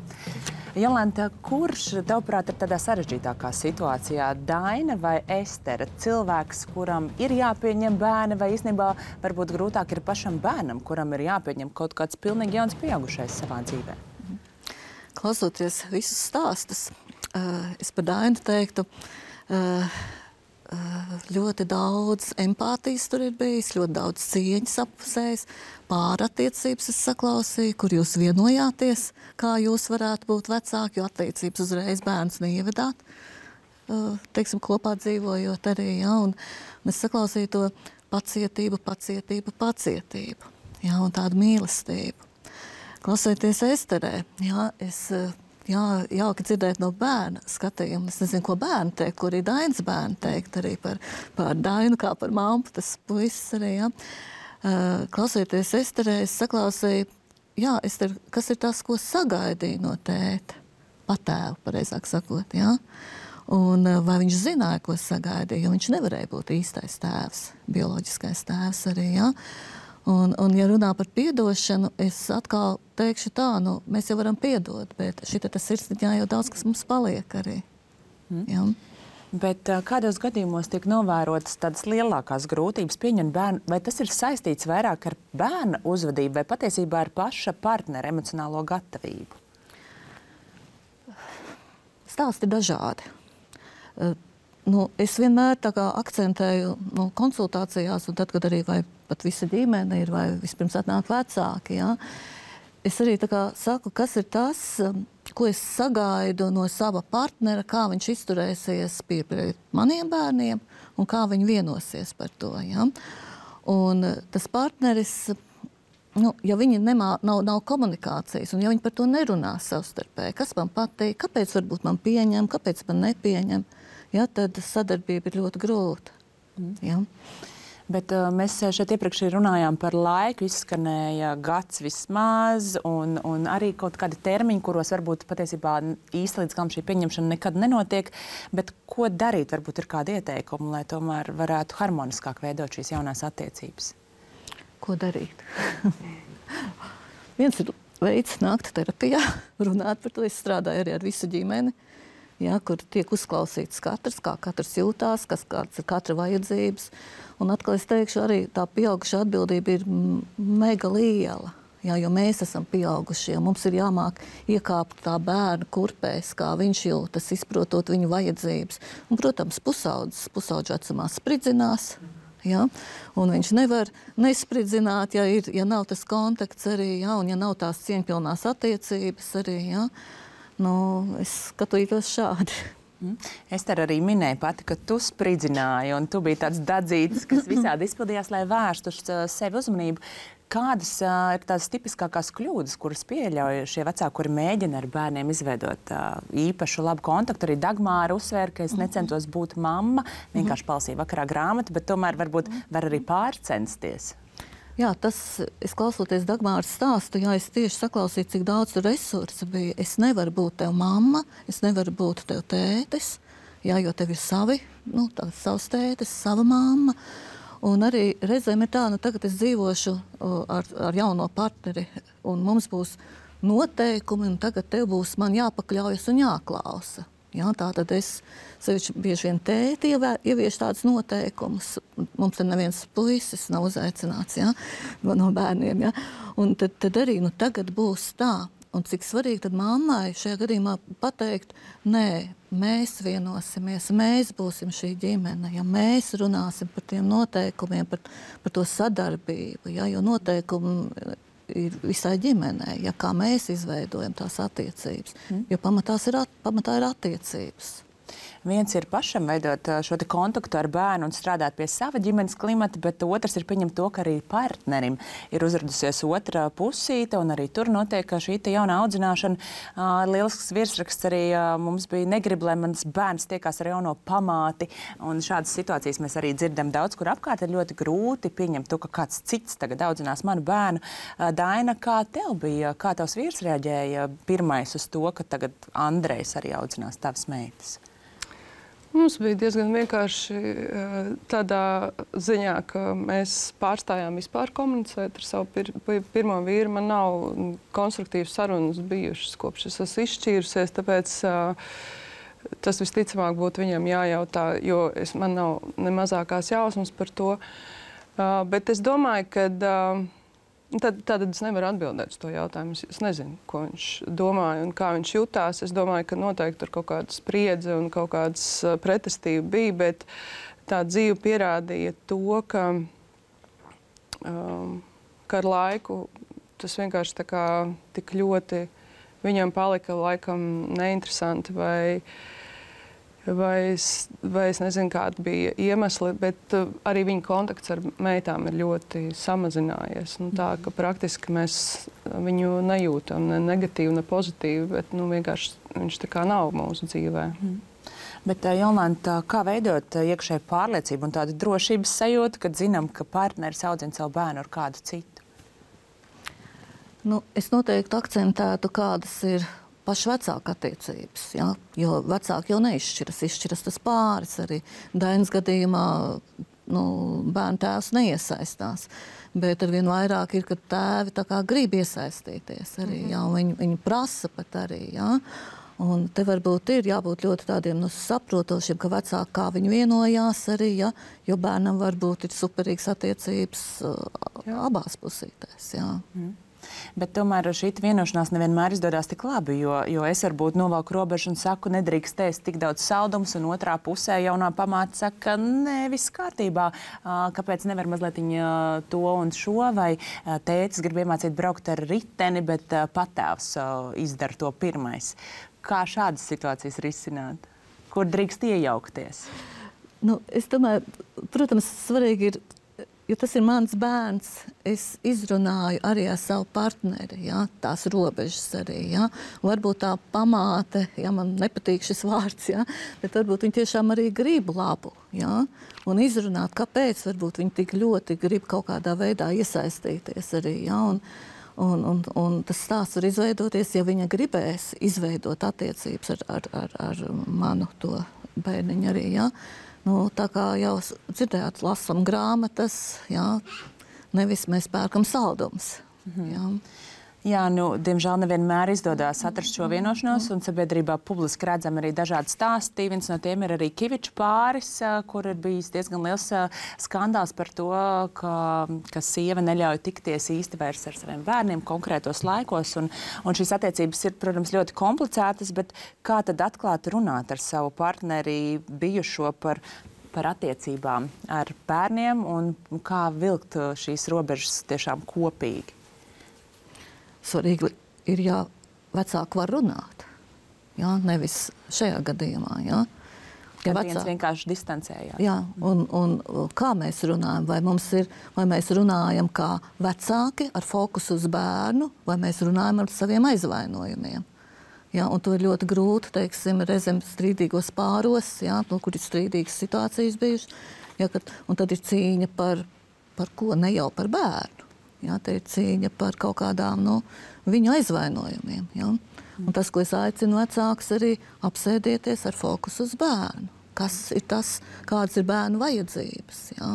Jolanta, kurš, tavuprāt, ir tādā sarežģītākā situācijā? Daina vai Estere? Cilvēks, kuram ir jāpieņem bērni, vai īstenībā varbūt grūtāk ir pašam bērnam, kuram ir jāpieņem kaut kāds pilnīgi jauns pieaugušais savā dzīvē? Klausoties visus stāstus, es par Dainu teiktu, ļoti daudz empātijas tur ir bijis, ļoti daudz cieņas appusējis, pārattiecības es saklausīju, kur jūs vienojāties, kā jūs varētu būt vecāki, jo attiecības uzreiz bērns neievedāt, teiksim, kopā dzīvojot arī, ja, un, un es saklausīju to pacietību, pacietību, pacietību, ja, un tādu mīlestību. Klausoties Esterē, ja, es... Jā, jauki dzirdēt no bērna skatījuma. Es nezinu, ko bērni teikt, ko arī Dainas bērni teikt arī par, par Dainu, kā par mammu, tas puisis arī, jā. Uh, klausoties Esterē, es saklausīju, jā, Ester, kas ir tas, ko sagaidīja no tēta, patēvu, pareizāk sakot, jā. Un uh, vai viņš zināja, ko sagaidīja, jo viņš nevarēja būt īstais tēvs, bioloģiskais tēvs arī, jā. Un, un, ja runā par piedošanu, es atkal teikšu tā, nu, mēs jau varam piedot, bet šita tas sirsniņā jau daudz, kas mums paliek arī. Mm. Ja? Bet kādos gadījumos tiek novērotas tādas lielākās grūtības pieņemt bērnu, vai tas ir saistīts vairāk ar bērna uzvedību vai patiesībā ar paša partnera emocionālo gatavību? Stāsti dažādi. Uh, nu, es vienmēr tā kā akcentēju nu, konsultācijās, un tad, kad arī vai pat visa ģimene ir, vai vispirms atnāk vecāki, ja? Es arī tā kā saku, kas ir tas, ko es sagaidu no sava partnera, kā viņš izturēsies pie, pie maniem bērniem un kā viņi vienosies par to. Ja? Un tas partneris, nu, ja viņi nemā, nav, nav komunikācijas un ja viņi par to nerunā savstarpēji, kas man patīk, kāpēc varbūt man pieņem, kāpēc man nepieņem, ja? Tad sadarbība ir ļoti grūta. Mm. Ja? Bet uh, mēs šeit iepriekš runājām par laiku, izskanēja gads vismaz, un, un arī kaut kādi termiņi, kuros varbūt patiesībā īsti līdz galam šī pieņemšana nekad nenotiek. Bet ko darīt? Varbūt ir kādi ieteikumi, lai tomēr varētu harmoniskāk veidot šīs jaunās attiecības? Ko darīt? Viens ir veids nākt terapijā, runāt par to. Es strādāju arī ar visu ģimeni. Ja, kur tiek uzklausīts katrs, kā katrs jūtās, kas kāds ir katra vajadzības. Un atkal es teikšu, arī tā pieauguša atbildība ir mega liela. Ja, jo mēs esam pieaugušie, mums ir jāmāk iekāpt tā bērna kurpēs, kā viņš jūtas, izprotot viņu vajadzības. Un, protams, pusaudzes, pusaudžu vecumā spridzinās. Ja? Un viņš nevar nespridzināt, ja, ir, ja nav tas kontakts arī, ja? Un ja nav tās cieņpilnās attiecības arī, ja? Nu, es skatītos šādi. Mm. Ester arī minēja pati, ka tu spridzināji un tu biji tāds dadzītis, kas visādi izpildījās, lai vērstu uz sevi uzmanību. Kādas uh, ir tās tipiskākās kļūdas, kuras pieļauj šie vecāki, kuri mēģina ar bērniem izveidot uh, īpašu labu kontaktu? Arī Dagmāra uzsvēra, ka es necentos būt mamma, vienkārši palasīju vakarā grāmatu, bet tomēr varbūt var arī pārcensties. Jā, tas, es klausoties Dagmāras stāstu, jā, es tieši saklausīju, cik daudz tur resursu bija. Es nevaru būt tev mamma, es nevaru būt tev tētis, jā, jo tev ir savi, nu, tāds savs tētis, sava mamma. Un arī reizēm ir tā, nu, tagad es dzīvošu o, ar, ar jauno partneri, un mums būs noteikumi, un tagad tev būs man jāpakļaujas un jāklausa. Jā, tā tad es sevišķi bieži vien tēti ieviešu tādus noteikumus. Mums te neviens puisis nav uzaicināts, jā, no bērniem, jā. Un tad, tad arī, nu, tagad būs tā. Un cik svarīgi tad mammai šajā gadījumā pateikt, nē, mēs vienosimies, mēs būsim šī ģimene, ja mēs runāsim par tiem noteikumiem, par, par to sadarbību, jā, jo noteikumi ir visai ģimenei, ja kā mēs izveidojam tās attiecības, mm. jo pamatās ir, at, pamatā ir attiecības. Viens ir pašam veidot šo te kontaktu ar bērnu un strādāt pie sava ģimenes klimata, bet otrs ir pieņemt to, ka arī partnerim ir uzradusies otra pusīte, un arī tur notiek šī te jauna audzināšana. Lielisks virsraksts arī mums bija negrib, lai mans bērns tiekās ar jauno pamāti, un šādas situācijas mēs arī dzirdam daudz, kur apkārt ir ļoti grūti pieņemt to, ka kāds cits tagad audzinās manu bērnu. Daina, kā tev bija, kā tavs vīrs reaģēja pirmais uz to, ka tagad Andrejs arī audzinās tavas meitas? Mums bija diezgan vienkārši tādā ziņā, ka mēs pārstājām vispār komunicēt ar savu pir pirmo vīru. Man nav konstruktīvas sarunas bijušas, kopš es esmu izšķīrusies, tāpēc tas visticamāk būtu viņam jājautā, jo es, man nav ne mazākās jausmas par to. Bet es domāju, ka Tad, tad es nevaru atbildēt uz to jautājumu. Es nezinu, ko viņš domāja un kā viņš jutās. Es domāju, ka noteikti tur kaut kāda spriedze un kaut kādas pretestība bija, bet tā dzīve pierādīja to, ka, um, ka ar laiku tas vienkārši tā kā tik ļoti viņam palika laikam neinteresanti vai Vai es, vai es nezinu, kāda bija iemesli, bet uh, arī viņa kontakts ar meitām ir ļoti samazinājies. Nu, tā, ka praktiski mēs viņu nejūtam ne negatīvi, ne pozitīvi, bet nu, vienkārši viņš tā kā nav mūsu dzīvē. Mm. Bet, Jolanta, kā veidot iekšēju pārliecību un tādu drošības sajūtu, kad zinām, ka partneris audzina savu bērnu ar kādu citu? Nu, es noteikti akcentētu, kādas ir paši vecāku attiecības, ja? Jo vecāki jau neizšķiras, izšķiras tas pāris. Arī Dainas gadījumā nu, bērnu tēvs neiesaistās, bet arvien vairāk ir, ka tēvi tā kā grib iesaistīties arī, mm-hmm. ja? Viņi, viņi prasa pat arī, ja? Un te varbūt ir jābūt ļoti tādiem nu, saprotošiem, ka vecāki kā viņi vienojās arī, ja? Jo bērnam varbūt ir superīgas attiecības jā. Abās pusītēs, jā. Mm. Bet tomēr šī vienošanās nevienmēr izdodas tik labi, jo, jo es varbūt novelku robežu un saku, nedrīkst ēst tik daudz saldumus, un otrā pusē jaunā pamāte saka, nē, viss kārtībā, kāpēc nevar mazliet to un šo, vai tētis grib iemācīt braukt ar riteni, bet patēvs izdara to pirmais. Kā šādas situācijas risināt? Kur drīkst iejaukties? Nu, es domāju, protams, svarīgi ir, jo tas ir mans bērns, es izrunāju arī ar savu partneri, ja, tās robežas arī, ja. Varbūt tā pamāte, ja man nepatīk šis vārds, ja, bet varbūt viņi tiešām arī grib labu, ja, un izrunāt, kāpēc varbūt viņi tik ļoti grib kaut kādā veidā iesaistīties arī, ja, un, un, un, un tas stāsts var izveidoties, ja viņa gribēs izveidot attiecības ar, ar, ar, ar manu to bērniņu arī, ja. Nu, tā kā jau dzirdējāt, lasam grāmatas, jā, nevis mēs pērkam saldumus. Mm-hmm. Jā. Jā, nu, diemžēl nevienmēr izdodas atrast šo vienošanos, un sabiedrībā publiski redzam arī dažādi stāsti. Viens no tiem ir arī Kiviču pāris, kur ir bijis diezgan liels skandāls par to, ka, ka sieva neļauj tikties īsti vairs ar saviem bērniem konkrētos laikos. Un, un šīs attiecības ir, protams, ļoti komplicētas, bet kā tad atklāt runāt ar savu partneri bijušo par, par attiecībām ar bērniem un kā vilkt šīs robežas tiešām kopīgi? Svarīgi ir, ja vecāki var runāt, ja, nevis šajā gadījumā. Ja. Kad Ja viens vecāki- vienkārši distancējās. Jā, un, un kā mēs runājam? Vai, mums ir, vai mēs runājam kā vecāki ar fokusu uz bērnu, vai mēs runājam ar saviem aizvainojumiem? Jā, un to ir ļoti grūti, teiksim, reizēm strīdīgos pāros, jā, nu, kur ir strīdīgas situācijas bijušas. Jā, kad, un tad ir cīņa par, par ko, ne jau par bērnu. Jā, te ir cīņa par kaut kādām nu, viņu aizvainojumiem. Jā. Un tas, ko es aicinu vecākus, arī apsēdieties ar fokusu uz bērnu. Kas ir tas, kādas ir bērnu vajadzības, jā?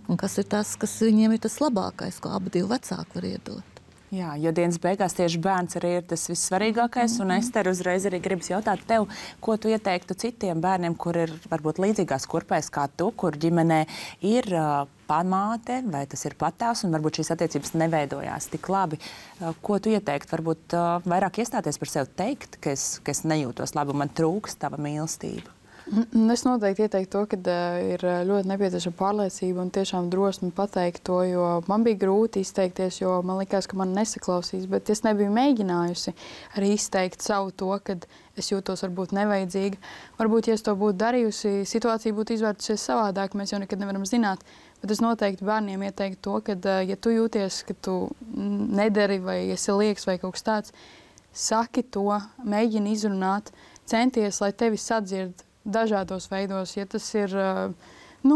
Un kas ir tas, kas viņiem ir tas labākais, ko abi divi vecāki var iedot. Jā, jo dienas beigās tieši bērns arī ir tas vissvarīgākais. Un Ester, uzreiz arī gribas jautāt tev, ko tu ieteiktu citiem bērniem, kur ir varbūt līdzīgās kurpēs kā tu, kur ģimenē ir uh, pamāte vai tas ir patēvs un varbūt šīs attiecības neveidojās tik labi. Uh, ko tu ieteiktu? Varbūt uh, vairāk iestāties par sevi, teikt, ka es, ka es nejūtos labi un man trūks tava mīlestība. Es noteikti ieteiktu to, ka uh, ir ļoti nepieciešama pārliecība un tiešām drosme pateikt to, jo man bija grūti izteikties, jo man likās, ka man nesaklausīs, bet es nebiju mēģinājusi arī izteikt savu to, kad es jūtos varbūt nevajadzīga. Varbūt, ja es to būtu darījusi, situācija būtu izvērtusies savādāk, mēs jau nekad nevaram zināt, bet es noteikti bērniem ieteiktu to, ka, uh, ja tu jūties, ka tu nedari vai esi lieks vai kaut kas tāds, saki to, mēģini izrunāt, centies, lai tevi sadzird dažādos veidos, ja tas ir, nu,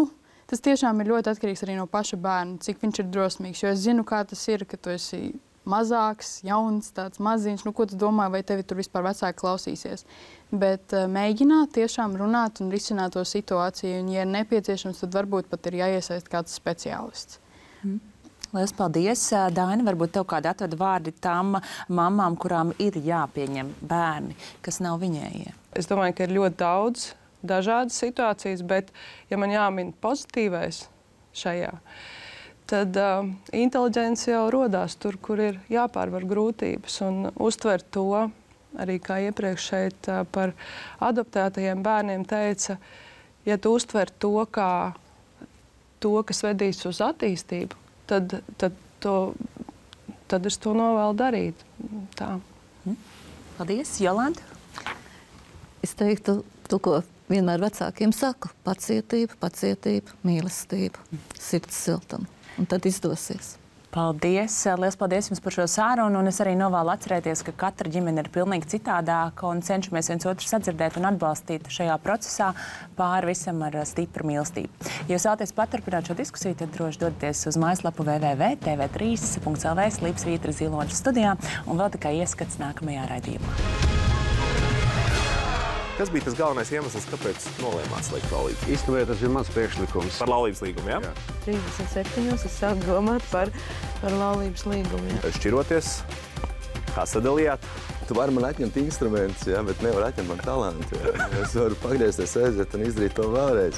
tas tiešām ir ļoti atkarīgs arī no paša bērna, cik viņš ir drosmīgs, jo es zinu, kā tas ir, ka tu esi mazāks, jauns, tāds maziņš, nu, ko tu domā, vai tevi tur vispār vecāki klausīsies. Bet uh, mēģināt tiešām runāt un risināt to situāciju, un, ja ir nepieciešams, tad varbūt pat ir jāiesaist kāds speciālists. Mm. Lielas paldies, Daina. Varbūt tev kādi atveda vārdi tām mamām, kurām ir jāpieņem bērni, kas nav viņējie. Es domāju, ka ir ļoti daudz dažādas situācijas, bet, ja man jāmin pozitīvais šajā, tad uh, inteliģence jau rodās tur, kur ir jāpārvar grūtības un uztver to, arī kā iepriekš šeit uh, par adoptētajiem bērniem teica, ja tu uztver to kā to, kas vedīs uz attīstību, tad, tad, to, tad es to novēlu darīt. Tā. Paldies, Jolanta. Es teiktu to, ko vienmēr vecākiem saku, pacietība, pacietība, mīlestība, sirds siltuma. Un tad izdosies. Paldies! Lielas paldies jums par šo sārunu, un es arī novēlu atcerēties, ka katra ģimene ir pilnīgi citādāka un cenšamies viens otru sadzirdēt un atbalstīt šajā procesā pāri visam ar stipru mīlestību. Ja jūs vēlaties paturpināt šo diskusiju, tad droši dodaties uz mājaslapu w w w punkt t v trīs punkt l v Slīps Vītra Ziloņa studijā un vēl tikai ieskats nākamajā raidījumā. Kas bija tas galvenais iemesls, kāpēc nolēmāt slēgt laulības? Īstenībā tas ir mans priekšlikums. Par laulības līgumu, jā? Jā. trīsdesmit septiņos es sāku domāt par, par laulības līgumu. Jā. Šķiroties, kā sadalījāt? Tu vari man atņemt instrumentus, jā, bet nevar atņemt man talantu. Jā. Es varu pagriezties, aiziet un izdarīt to vēlreiz.